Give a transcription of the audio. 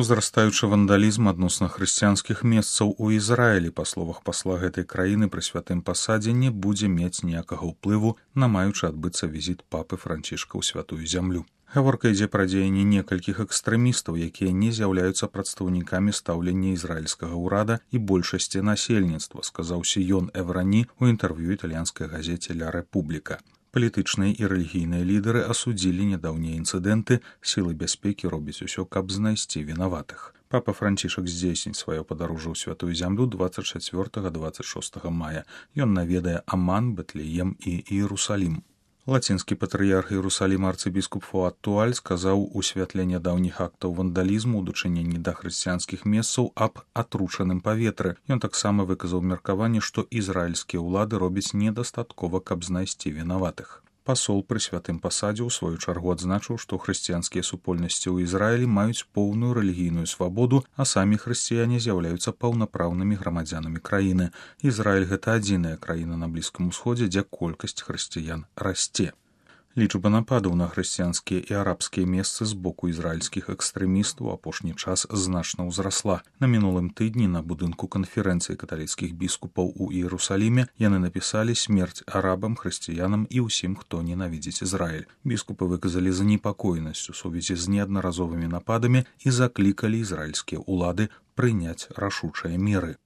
Узрастаючы вандалізм адносна хрысціянскіх месцаў у Ізраілі, па словах пасла гэтай краіны пры святым пасадзе, не будзе мець ніякага ўплыву на маючы адбыцца візіт папы Францішка ў святую зямлю. Гаворка ідзе пра дзеянні некалькіх экстрэмістаў, якія не з'яўляюцца прадстаўнікамі стаўлення ізраільскага ўрада і большасці насельніцтва, сказаў Сіён Эврані ў інтэрв'ю італьянскай газеце «Ля Рэпубліка». Палітычныя і рэлігійныя лідары асудзілі нядаўнія інцыдэнты, сілы бяспекі робяць усё, каб знайсці вінаватых. Папа Францішак здзейсніць сваё падарожжа ў святую зямлю 24-26 мая. Ён наведае Аман, Бэтлеем і Іерусалім. Лацінскі патрыярх Іерусаліма арцыбіскуп Фуад Туаль сказаў у святле нядаўніх актаў вандалізму ў дачыненні да хрысціянскіх месцаў аб атручаным паветры. Ён таксама выказаў меркаванне, што ізраільскія ўлады робяць недастаткова, каб знайсці вінаватых. Пасол пры святым пасадзе ў сваю чаргу адзначыў, што хрысціянскія супольнасці ў Ізраілі маюць поўную рэлігійную свабоду, а самі хрысціяне з'яўляюцца паўнапраўнымі грамадзянамі краіны. Ізраіль — гэта адзіная краіна на Блізкім Усходзе, дзе колькасць хрысціян расце. Лічба нападаў на хрысціянскія і арабскія месцы з боку ізраільскіх экстрэмістаў у апошні час значна ўзрасла. На мінулым тыдні на будынку канферэнцыі каталіцкіх біскупаў у Іерусаліме яны напісалі смерць арабам, хрысціянам і ўсім, хто ненавідзіць Ізраіль. Біскупы выказалі занепакоенасць у сувязі з неаднаразовымі нападамі і заклікалі ізраільскія ўлады прыняць рашучыя меры.